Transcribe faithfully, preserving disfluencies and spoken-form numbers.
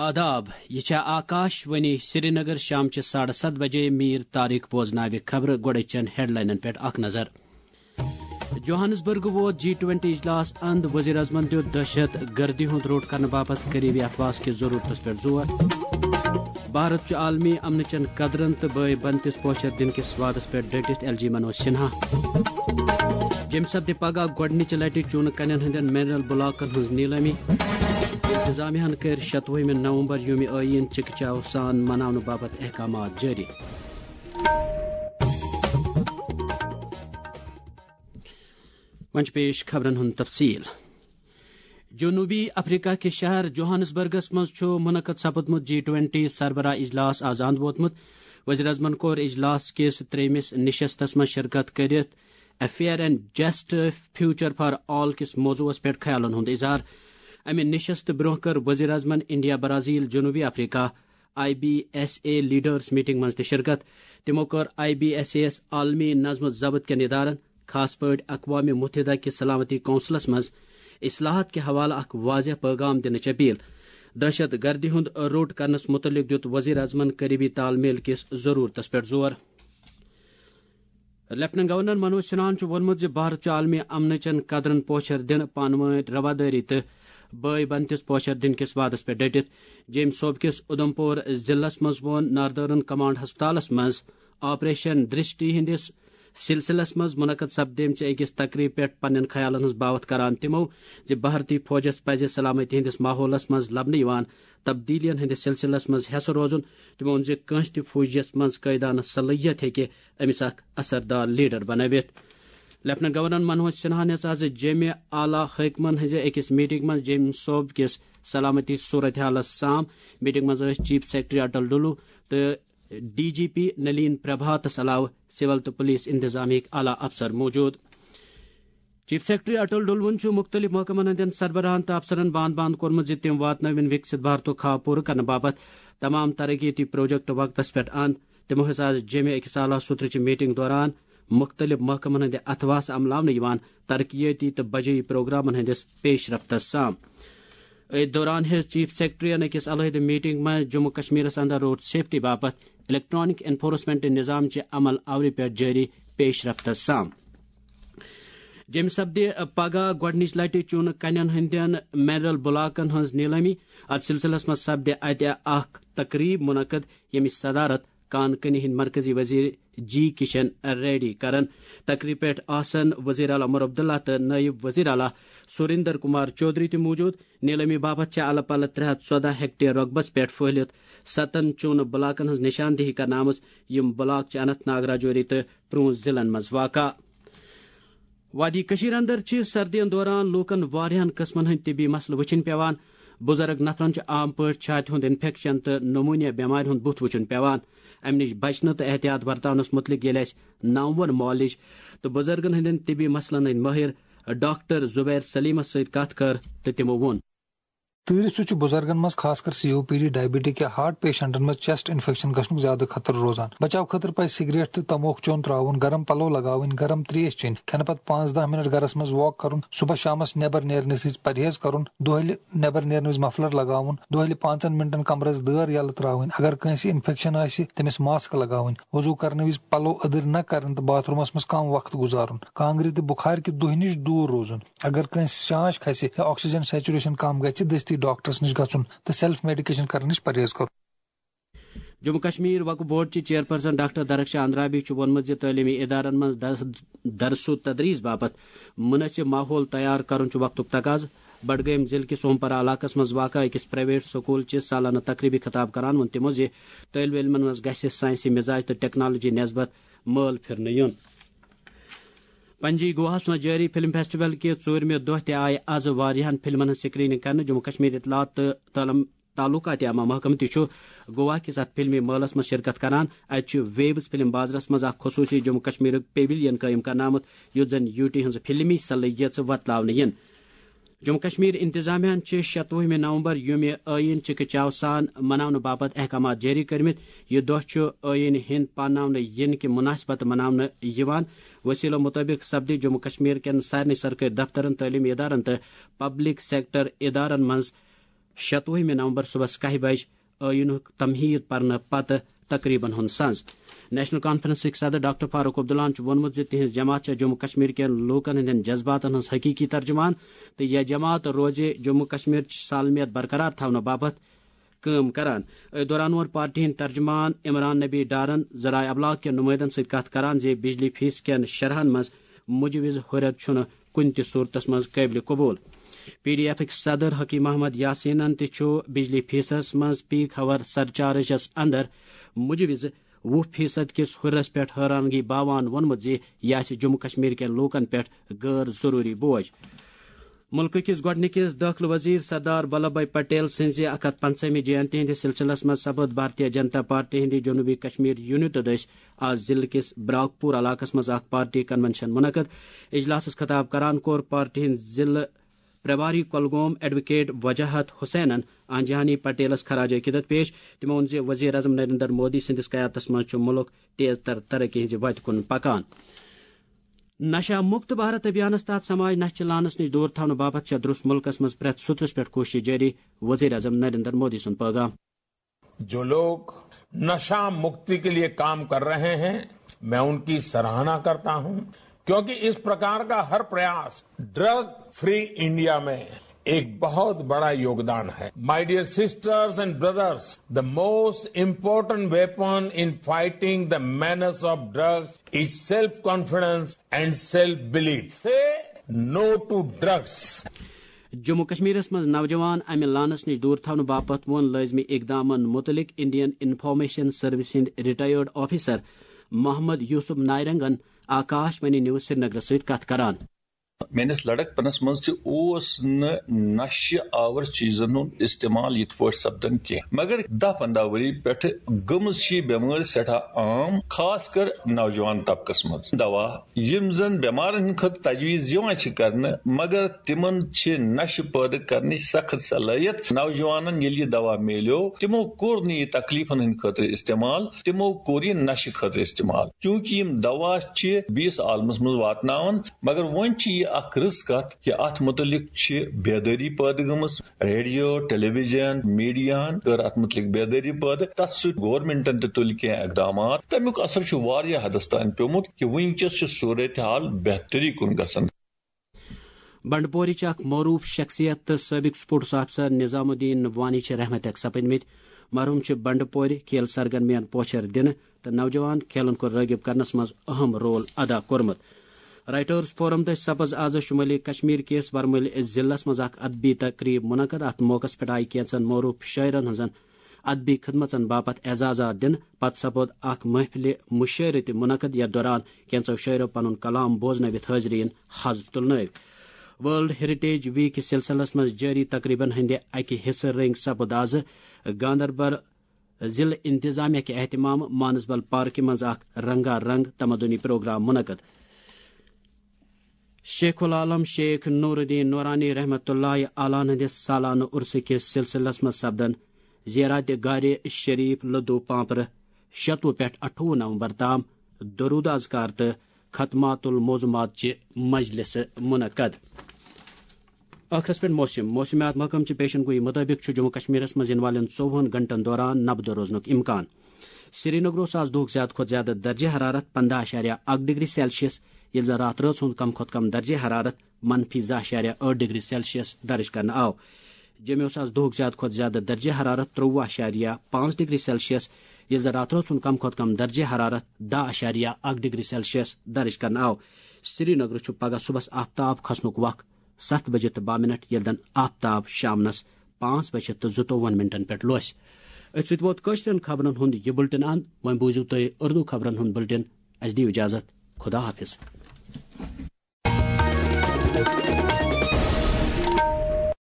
آداب، یہِ چھےٚ آکاش وانی سرینگر۔ شام چہِ ساڑٕ ستھ بجے میٖر طارق بوزناوِ خبرٕ۔ گۄڈٕ چن ہیڈلاینن پٮ۪ٹھ اکھ نظر۔ جوہانسبرگ ووت جی ٹوینٹی اجلاس اند، وزیر اعظمن دیُت دہشت گردی ہُنٛد روٚٹ کرنہٕ باپتھ قریبی اتھواس کِس ضرورتس پٮ۪ٹھ زور۔ بھارت چھُ عالمی امنہٕ چٮ۪ن قدرن تہٕ بٲے بنتِس پوچھر دِنہٕ کِس وعدس پٮ۪ٹھ ڈٔٹِتھ، ایل جی منوج سنہا۔ جیٚمہِ سپدِ پگاہ گۄڈٕنِچہِ لٹہِ چوٗنہٕ کنٮ۪ن ہٕنٛدٮ۪ن منرل بلاکن ہٕنٛز نیلٲمی۔ انتظامیہ ہن کٔرۍ شتوُہمہِ نومبر یومہِ آئین چکہ چاو سان مناونہٕ باپتھ احکامات جٲری۔ وۄنۍ چھِ پیش خبرن ہُنٛد تفصیل۔ جنوبی افریقہ کِس شہر جوہانسبرگس منٛز چھُ منعقد سپدمُت جی ٹوینٹی سربراہ اجلاس آز اند ووتمُت۔ وزیر اعظمن کوٚر اجلاس کِس ترٛیٚیمِس نشستس منٛز شرکت کٔرِتھ A Fair and Just Future for All کِس موضوعس پٮ۪ٹھ خیالن ہُنٛد اظہار۔ امہِ نشست برونٛہہ کٔر وزیر اعظمن انڈیا، برازیل، جنوبی افریقہ، I B S A leaders meeting منٛز تہِ شرکت۔ تِمو کٔر آئی بی ایس اے یَس عالمی نظم و ضبط کٮ۪ن ادارن، خاص پٲٹھۍ اقوام متحدہ کہِ سلامتی کونسلس منٛز اصلاحات کہِ حوالہٕ اکھ واضح پیغام دِنٕچ اپیل۔ دہشت گردی ہُنٛد روٚٹ کرنس متعلق دیُت وزیر اعظمن قریبی تال میل کِس ضرورتس پٮ۪ٹھ زور۔ لیفٹیننٹ گورنر منوج سنہاہن چھُ ووٚنمُت زِ بھارت چھُ عالمی امنہٕ چٮ۪ن قدرن پوچھر دِنہٕ، پانہٕ وٲنۍ روادٲری تہٕ بٲے بنتِس پوچھر دِنہٕ کِس وعدس پٮ۪ٹھ ڈٔٹِتھ۔ جیٚمۍ صوبہٕ کِس اُدھمپور ضلعس منٛز ووٚن ناردرن کمانڈ ہسپتالس منٛز آپریشن درشٹی ہٕنٛدِس سلسلس منٛز منعقد سپدیمژِ أکِس تقریبہِ پٮ۪ٹھ پننٮ۪ن خیالن ہٕنٛز باوتھ کران تِمو زِ بھارتی فوجس پزِ سلامتی ہٕنٛدِس ماحولس منٛز لبنہٕ یِوان تبدیلیَن ہٕنٛدِس سلسلس منٛز حصہٕ روزُن۔ تِمو ووٚن زِ کٲنٛسہِ تہِ فوجیَس منٛز قٲیدانہٕ صلٲحیت ہیٚکہِ أمِس اکھ اثردار لیڈر بنٲوِتھ۔ لیفٹیننٹ گورنر منوج سنہاہن ہیٚژ آز جیٚمہِ اعلیٰ حٲکمن ہٕنٛزِ أکِس میٹنگ منٛز جیٚمہِ صوبہٕ کِس سلامتی صورتحالس سام۔ میٹنگ منٛز ٲسۍ چیف سیکرٹری اٹل ڈلو تہٕ ڈی جی پی نلین پربھاتس علاوٕ سول تہٕ پولیس انتظامیہٕکۍ اعلیٰ افسر موجود۔ چیف سیکرٹری اٹل ڈلوُن چھُ مُختٔلِف محکمن ہٕنٛدٮ۪ن سربراہن تہٕ افسرن بان بان کوٚرمُت زِ تِم واتنٲوِن وِکسِت بھارتُک خواب پوٗرٕ کرنہٕ باپتھ تمام ترقیتی پروجیکٹ وقتس پٮ۪ٹھ اند۔ تِمو ہیٚژ آز جیٚمہِ أکِس اعلیٰ سُترٕچہِ میٹنگ دوران مُختٔلِف محکمن ہٕنٛدِ اتھواسہٕ عملاونہٕ یِوان ترقیٲتی تہٕ بجٲیی پروگرامن ہٕنٛدِس پیش رفتس سام۔ أتھۍ دوران ہیٚژ چیف سیکرٹریَن أکِس علیحدٕ میٹنگ منٛز جموں کشمیرس اندر روڈ سیفٹی باپتھ الیکٹرانک انفورسمنٹ نظام چہِ عمل آورِ پٮ۪ٹھ جٲری پیش رفتس سام۔ جیٚمہِ سپدِ پگاہ گۄڈٕنِچ لٹہِ چوٗنہٕ کنٮ۪ن ہٕنٛدٮ۪ن منرل بلاکن ہٕنٛز نیلٲمی۔ اتھ سلسلس منٛز سپدِ اتہِ اکھ تقریب منعقد، ییٚمِچ صدارت کان کنی ہٕنٛدۍ مرکزی وزیر جی کشن ریڈی کرن۔ تقریب پٮ۪ٹھ آسن وزیر اعلیٰ عمر عبداللہ تہٕ نائب وزیر اعلیٰ سریندر کمار چودھری تہِ موجود۔ نیلٲمی باپتھ چھِ الہٕ پلہٕ ترٛےٚ ہتھ ژۄدہ ہیکٹر رۄقبس پٮ۪ٹھ پھٔہلِتھ ستن چوٗنہٕ بلاکن ہٕنٛز نشاندہی کرنہٕ آمٕژ، یِم بلاک چھِ اننت ناگ، راجوری تہٕ پرونٛژھ ضلعن منٛز واقع۔ وادی کٔشیٖر اندر چھِ سردین دوران لوٗکن واریاہن قٕسمن ہٕنٛدۍ طبی مسلہٕ وٕچھِنۍ پٮ۪وان۔ بُزرگ نفرن چھُ عام پٲٹھۍ چھاتہِ ہُنٛد انفیکشن تہٕ نمونیا بٮ۪مارِ ہُنٛد بُتھ وٕچھُن پٮ۪وان۔ امہِ نِش بچنہٕ تہٕ احتیاط ورتاونس مُتعلق ییٚلہِ اَسہِ نامور معالج تہٕ بُزرگن ہٕنٛدٮ۪ن طبی مسلن ہٕنٛدۍ مٲہِر ڈاکٹر زبیر سلیمس سۭتۍ کتھ کٔر تہٕ تِمو ووٚن۔ تۭرِ سۭتۍ چھُ بُزرگن منٛز، خاص کر سی او پی ڈی، ڈائبٹک یا ہارٹ پیشنٹن منٛز چیسٹ انفیکشن گژھنُک زیادٕ خطرٕ روزان۔ بچاو خٲطرٕ پزِ سگریٹ تہٕ تموک چیوٚن ترٛاوُن، گرم پلو لگاوٕنۍ، گرم تریش چیٚنۍ، کھٮ۪نہٕ پتہٕ پانٛژھ دَہ منٹ گرس منٛز واک کرُن، صبح شامس نٮ۪بر نیرنہٕ سۭتۍ پرہیز کرُن، دۄہلہِ نٮ۪بر نیرنہٕ وِزِ مفلر لگاوُن، دۄہلہِ پانٛژن منٹن کمرس دٲر یلہٕ ترٛاوٕنۍ، اگر کٲنٛسہِ انفیکشن آسہِ، تٔمِس ماسک لگاوٕنۍ، وضو کرنہٕ وِزِ پلو أدٕرۍ نہ کرٕنۍ تہٕ باتھ رومس منٛز کم وقت گُزارُن، کانٛگرِ تہٕ بُخارِ کہِ دُہہِ نِش دوٗر روزُن۔ اگر کٲنٛسہِ شانٛش کھسہِ یا آکسیجن سیچوریشن کم گژھِ، دستی ڈاکٹرس نِش گژھُن تہٕ سیلف میڈیکیشن کرنہٕ نِش پرہیز کرُن۔ جموں کشمیر وقف بورڈ چہِ چیئرپرسن ڈاکٹر درخشاں اندرابی چھُ ووٚنمُت زِ تعلیمی ادارن منٛز درس، درس و تدریس باپتھ مناسب ماحول تیار کرُن چھُ وقتُک تقاضہٕ۔ بڈگٲمۍ ضلعہٕ کِس سومپرا علاقس منٛز واقع أکِس پرائیویٹ سکول چہِ سالانہٕ تقریبہِ خطاب کران ووٚن تِمو زِ طٲلبہِ علمن منٛز گژھِ سائنسی مزاج تہٕ ٹیکنالوجی نسبت مٲل پھرنہٕ یُن۔ پنجی گواہس منٛز جٲری فلم فیسٹیول کہِ ژوٗرمہِ دۄہ تہِ آیہِ از واریاہن فلمن ہٕنٛز سکریننگ کرنہٕ۔ جموں کشمیر اطلاعات تہٕ تعلم-، تعلقات عامہ محکمہٕ تہِ چھُ گوا کِس اتھ فلمی مٲلس منٛز شرکت کران۔ اتہِ چھُ ویوز فلم بازرس منٛز اکھ خصوٗصی جموں کشمیرُک پیویلین قٲیِم کرنہٕ آمُت، یُتھ زن یوٹی ہٕنٛز فلمی صلٲحیژ وۄتلاونہٕ یِن۔ جموں کشمیر انتظامیہ ہن چھِ شتوُہمہِ نومبر یومہِ آئین چکہ چاو سان مناونہٕ باپتھ احکامات جٲری کٔرمٕتۍ۔ یہِ دۄہ چھُ آئین ہند پاناونہٕ یِنہٕ کہِ مناسبت مناونہٕ یِوان۔ وسیلو مطٲبق سپدِ جموں کشمیر کٮ۪ن سارنٕے سرکٲرۍ دفترن، تعلیمی ادارن تہٕ پبلک سیکٹر ادارن منٛز شتوُہمہِ نومبر صبحس کاہہِ بجہِ ٲییٖنُک تمہیٖد پرنہٕ پتہٕ تقریبن ہُنٛد سنز۔ نیشنل کانفرنسٕکۍ صدر ڈاکٹر فاروق عبداللہن چھُ ووٚنمُت زِ تِہنٛز جماعت چھےٚ جموں کشمیر کٮ۪ن لوٗکن ہٕنٛدٮ۪ن جذباتن ہٕنٛز حقیقی ترجمان تہٕ یہِ جماعت روزِ جموں کشمیر چہِ سالمیت برقرار تھاونہٕ باپتھ کٲم کران۔ أتھۍ دوران ووٚن پارٹی ہٕنٛدۍ ترجمان عمران نبی ڈارن ذرائع ابلاغ کٮ۪ن نمائندن سۭتۍ کتھ کران زِ بجلی فیس کٮ۪ن شرحن منٛز مجوز ہُرٮ۪ر چھُنہٕ کُنہِ تہِ صورتس منٛز قٲبلِ قبول۔ پی ڈی ایفٕکۍ صدر حکیم محمد یاسینن تہِ چھُ بجلی فیسس منٛز پیک آور سرچارجس اندر مجوز وُہ فیصد کِس ہُرٮ۪رس پٮ۪ٹھ حٲرانگی باوان ووٚنمُت زِ یہِ آسہِ جموں کشمیر کٮ۪ن لوٗکن پٮ۪ٹھ غٲر ضروٗری بوج۔ مُلکہٕ کِس گۄڈٕنِکِس دٲخلہٕ وزیر سردار ولبھ بھائی پٹیل سٕنٛزِ اَکھ ہَتھ پنٛژاہمہِ جینتی ہٕنٛدِس سلسلس منٛز سپُد بھارتیہ جنتا پارٹی ہٕنٛدِ جنوٗبی کشمیر یونٹہٕ دٔسۍ آز ضلعہٕ کِس براک پور علاقس منٛز اکھ پارٹی کنونشن منعقد۔ اجلاسس خطاب کران کوٚر پارٹی ہٕنٛدۍ ضلعہٕ پرباری کۄلگوم ایڈووکیٹ وجاہت حسینن آنجہانی پٹیلس خراج عقیدت پیش۔ تِمو ووٚن زِ وزیر اعظم نریندر مودی سٕنٛدِس قیادتس منٛز چھُ مُلک تیز تر ترقی ہٕنٛزِ وتہِ کُن پکان۔ نشہ مکت بھارت ابھیانس تحت سماج نشہ چہ لعنس نش دور تھاونہٕ باپتھ چھےٚ درست ملکس منٛز پرٛٮ۪تھ سطرس پٮ۪ٹھ کوٗشش جٲری، وزیر اعظم نریندر مودی سُنٛد پیغام۔ जो लोग नशा मुक्ति के लिए काम कर रहे हैं, मैं उनकी सराहना करता हूं, क्योंकि इस प्रकार का हर प्रयास ड्रग फ्री इंडिया में एक बहुत बड़ा योगदान है। My dear sisters and brothers, the most important weapon in fighting the menace of drugs is self confidence and self belief. Say no to drugs. Jammu کشمیرس منٛز نوجوان امہِ لعنس نِش دوٗر تھاونہٕ باپتھ ووٚن لٲزمی اقدامن مُتعلق انڈین انفارمیشن سروس ہٕنٛدۍ ریٹائرڈ آفیسر محمد یوسف نائرنگن آکاش وانی نیوز سرینگرس سۭتۍ کتھ کران۔ میٲنِس لڑکپنس منٛز تہِ اوس نہٕ نشہِ آور چیزن ہُنٛد استعمال یِتھ پٲٹھۍ سپدان کینٛہہ، مگر دَہ پنٛداہ ؤری پٮ۪ٹھٕ گٔمٕژ چھِ یہِ بٮ۪مٲرۍ سٮ۪ٹھاہ عام، خاص کر نوجوان طبقس منٛز۔ دوا یِم زن بٮ۪مارن ہٕنٛدِ خٲطرٕ تجویز یِوان چھِ کرنہٕ، مگر تِمن چھِ نشہِ پٲدٕ کرنٕچ سخت صلٲحیت۔ نوجوانن ییٚلہِ یہِ دوا میلیو، تِمو کوٚر نہٕ یہِ تکلیفن ہٕنٛدِ خٲطرٕ استعمال، تِمو کوٚر یہِ نشہِ خٲطرٕ استعمال۔ چونکہ یِم دوا چھِ بیٚیِس عالمس منٛز واتناوان، مگر وۄنۍ چھِ یہِ اکھ رٕژ کتھ کہِ اتھ متعلق چھِ بیدٲری پٲدٕ گٔمٕژ۔ ریڈیو، ٹیلی ویژن، میڈیاہن کٔر اتھ متعلق بیدٲری پٲدٕ، تتھ سۭتۍ گورنمنٹن تہِ تُلۍ کینٛہہ اقدامات۔ تمیُک اثر چھُ واریاہ حدس تام پیومُت کہِ وٕنکیٚس چھُ صورتحال بہتری کُن گژھان۔ بنڈپورٕچ اکھ معروف شخصیت تہٕ سٲبق سپورٹس آفیسر نظام الدین وانی چھِ رحمتک سپدمٕتۍ۔ مرحوم چھِ بنڈپورِ کھیل سرگرمیَن پوچھر دِنہٕ تہٕ نوجوان کھیلن کُن رٲغب کرنس منٛز اہم رول ادا کوٚرمُت۔ رائٹرز فورم دٔسۍ سپز آز شمالی کشمیر کِس ورمُلۍ ضلعس منٛز اکھ ادبی تقریب منعقد۔ اتھ موقعس پٮ۪ٹھ آیہِ کینژن معروف شٲعرن ہٕنزن ادبی خدمژن باپتھ اعزازات دِنہٕ۔ پتہٕ سپُد اکھ محفلِ مشٲعرٕ تہِ منعقد، یتھ دوران کینژو شٲعرو پنُن کلام بوزنٲوِتھ حاضرین حظ تُلنٲوۍ۔ ورلڈ ہیریٹیج ویک کِس سلسلس منٛز جٲری تقریبن ہٕنٛدِ اکہِ حصہٕ رٔنگۍ سپُد آز گاندربل ضلع انتظامیہ کہِ اہتمام مانسبل پارکہِ منٛز اکھ رنگا رنگ تمدنی پروگرام منعقد۔ شیخ العالم شیخ نور الدین نورانی رحمت اللہ علیہ ہٕنٛدِس سالانہٕ عرسہٕ کِس سلسلس منٛز سپدن زیارت گاہ شریف لدو پانپرٕ شتوُہ پٮ۪ٹھ اَٹھووُہ نومبر تام درود اذکار تہٕ ختمات الموضوعات چہِ مجلسہٕ منعقد۔ ٲخرس پٮ۪ٹھ موسم۔ موسمیات محکمہٕ چہِ پیشن گویی مُطٲبِق چھُ جموں کشمیرس منٛز یِنہٕ والٮ۪ن ژوٚوُہن گھنٹن دوران نبدٕ روزنُک امکان۔ سری نگرس آز دۄہُک زیادٕ کھۄتہٕ زیادٕ درجہ حرارت پنٛداہ اعشاریہ اکھ ڈگری سیلسیس، ییٚلہِ زن راتھ رٲژ ہُنٛد کم کھۄتہٕ کم درجہ حرارت منفی زٕ اعشاریہ ٲٹھ ڈگری سیلسیس درج کرنہٕ آو۔ جوٚمہِ اوس آز دۄہُک زیادٕ کھۄتہٕ زیادٕ درجہ حرارت ترٛۆوُہ اعشاریہ پانٛژھ ڈگری سیلسیس، ییٚلہِ زن راتھ رٲژ ہُنٛد کم کھۄتہٕ کم درجہ حرارت دَہ اعشاریہ اکھ ڈگری سیلسیس درج کرنہٕ آو۔ سری نگرٕ چھُ پگہہ صبحس آفتاب کھسنُک وق ستھ بجے تہٕ باہ منٹ، ییٚلہِ زن آفتاب شامنس پانٛژھ بجے تہٕ زٕتووُہن منٹن پٮ۪ٹھ لوسہِ۔ أتھۍ سۭتۍ ووت کٲشرٮ۪ن خبرن ہُنٛد یہِ بُلٹن اند۔ وۄنۍ بوٗزِو تُہۍ اردو خبرن ہُنٛد بُلٹن۔ اسہِ دِیِو اجازت۔ خدا حافظ۔